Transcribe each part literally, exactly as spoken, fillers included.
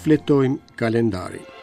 Shfletojmë kalendarin.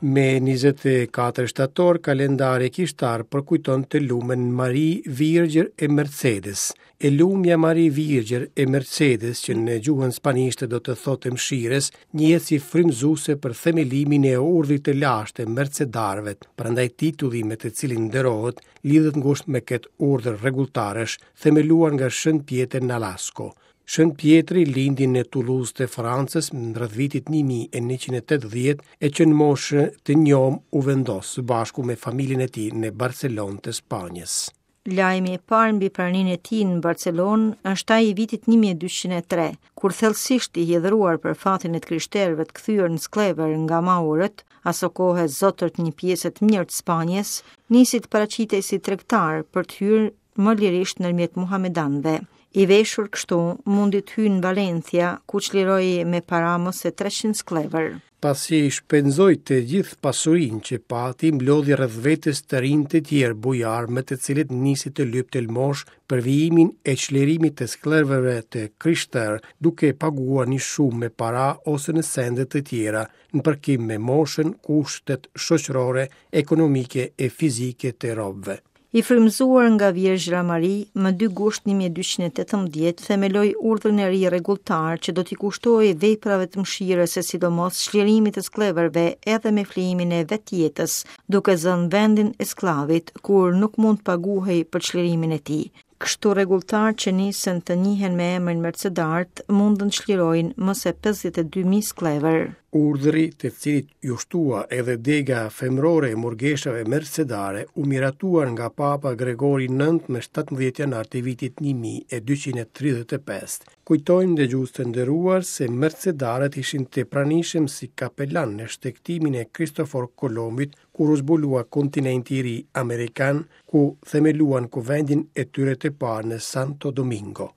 Me njëzet e katër shtator, kalendari kishtar përkujton të lumën Mari Virgjër e Mercedes. E lumja Mari Virgjër e Mercedes, që në gjuhën spanjishte do të thotë mëshirës, njihet si frymëzuese për themelimin e urdhrit të lashtë të Mercedarëve, prandaj titulli me të cilin nderohet lidhet ngushtë me këtë urdhër rregulltarësh, themeluar nga Shën Pjetër Nolasco. Shën Pjetri lindi në Toulouse të Francës në rreth vitit një mijë e njëqind e tetëdhjetë e që në moshë të njomë u vendos së bashku me familjen e tij në Barcelonë të Spanjës. Lajmi e parë mbi praninë e tij në Barcelonë është ai i vitit një mijë e dyqind e tre, kur thellësisht i hidhëruar për fatin e të krishterëve të kthyer në skllevër nga maurët, asokohe zotër të një pjese të mirë të Spanjës, nisi të paraqitej si tregtar për të hyrë më lirisht ndërmjet muhamedanëve. I veshur kështu, mundi të hyjë në Valencia, ku çliroi me para më se treqind skllevër. Pasi shpenzoi të gjithë pasurinë që pati, mblodhi rreth vetes të rinj të tjerë bujar me të cilët nisi të lypte lëmosh për vijimin e çlirimit të skllevërve të krishterë, duke paguar një shumë me para ose në sende të tjera, në përkim me moshën, kushtet shoqërore, ekonomike e fizike të robëve. I frymëzuar nga Vjerzhra Mari, më dy gusht një mijë e dyqind e tetëmbëdhjetë themeloi urdhrin e ri rregulltar që do t'i kushtohej veprave të mëshirës e sidomos çlirimit të skllevërve edhe me flijimin e vetjetës, duke zënë vendin e skllavit kur nuk mund të paguhej për çlirimin e tij. Kështu rregulltar që nisën të njihen me emrin Mercedart mundën të çlirojnë më se pesëdhjetë e dy mijë skllevër. Urdhri, të cilit ju shtua edhe dega femrore e murgeshave mercedare, u miratuar nga Papa Gregori nëntë më shtatëmbëdhjetë janar të vitit një mijë e dyqind e tridhjetë e pesë. Kujtojmë dëgjues të nderuar se mercedarët ishin të pranishëm si kapelan në shtegtimin e Kristofor Kolombit kur u zbulua kontinenti i ri amerikan, ku themeluan kuvendin e tyre të parë në Santo Domingo.